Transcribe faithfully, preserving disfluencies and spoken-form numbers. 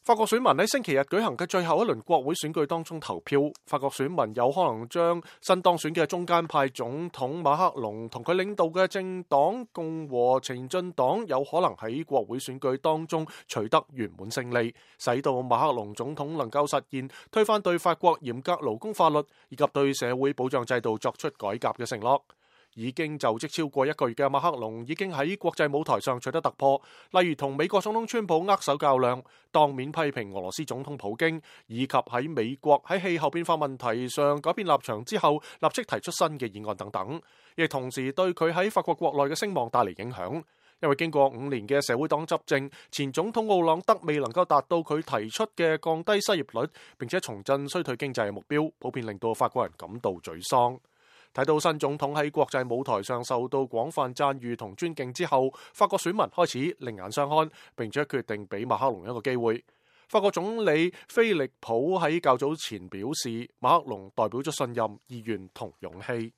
法國選民喺星期日舉行嘅最後一輪國會選舉當中投票，法國選民有可能將新當選嘅中間派總統馬克龍同佢領導嘅政黨共和前進黨有可能喺國會選舉當中取得圓滿勝利，使到馬克龍總統能夠實現推翻對法國嚴格勞工法律以及對社會保障制度作出改革嘅承諾。已經就職超過一個月嘅馬克龍已經喺國際舞台上取得突破，例如同美國總統川普握手較量，當面批評俄羅斯總統普京，以及喺美國喺氣候變化問題上改變立場之後，立即提出新嘅議案等等，亦同時對佢喺法國國內嘅聲望帶嚟影響。因為經過五年嘅社會黨執政，前總統奧朗德未能夠達到佢提出嘅降低失業率並且重振衰退經濟嘅目標，普遍令到法國人感到沮喪。睇到新總統喺國際舞台上受到廣泛讚譽同尊敬之後，法國選民開始另眼相看，並且決定俾馬克龍一個機會。法國總理菲利普喺較早前表示，馬克龍代表咗信任、意願同勇氣。